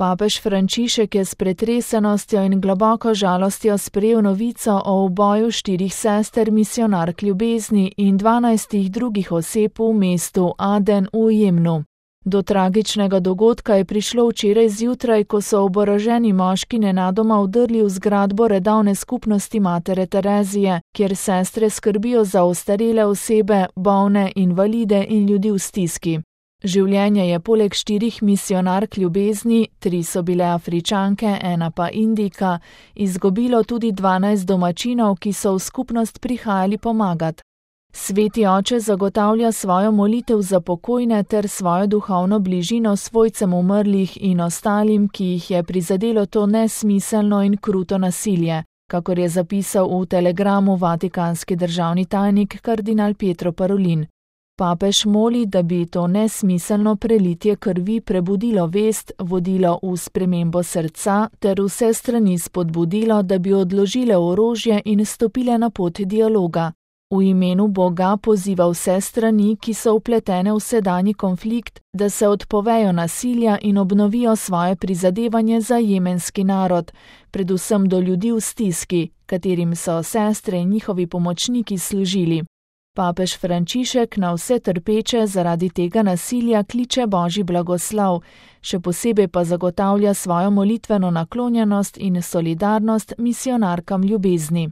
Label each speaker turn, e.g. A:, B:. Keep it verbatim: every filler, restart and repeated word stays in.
A: Papež Frančišek je s pretresenostjo in globoko žalostjo sprejel novico o uboju štirih sester misijonark ljubezni in dvanajstih drugih oseb v mestu Aden v Jemnu. Do tragičnega dogodka je prišlo včeraj zjutraj, ko so oboroženi moški nenadoma vdrli v zgradbo redovne skupnosti Matere Terezije, kjer sestre skrbijo za ostarele osebe, bolne, invalide in ljudi v stiski. Življenje je poleg štirih misijonark ljubezni, tri so bile Afričanke, ena pa Indijka, izgubilo tudi dvanajst domačinov, ki so v skupnost prihajali pomagat. Sveti oče zagotavlja svojo molitev za pokojne ter svojo duhovno bližino svojcem umrlih in ostalim, ki jih je prizadelo to nesmiselno in kruto nasilje, kakor je zapisal v telegramu vatikanski državni tajnik kardinal Pietro Parolin. Papež moli, da bi to nesmiselno prelitje krvi prebudilo vest, vodilo v spremembo srca ter vse strani spodbudilo, da bi odložile orožje in stopile na pot dialoga. V imenu Boga poziva vse strani, ki so vpletene v sedanji konflikt, da se odpovejo nasilja in obnovijo svoje prizadevanje za jemenski narod, predvsem do ljudi v stiski, katerim so sestre in njihovi pomočniki služili. Papež Frančišek na vse trpeče zaradi tega nasilja kliče Božji blagoslov, še posebej pa zagotavlja svojo molitveno naklonjenost in solidarnost misijonarkam ljubezni.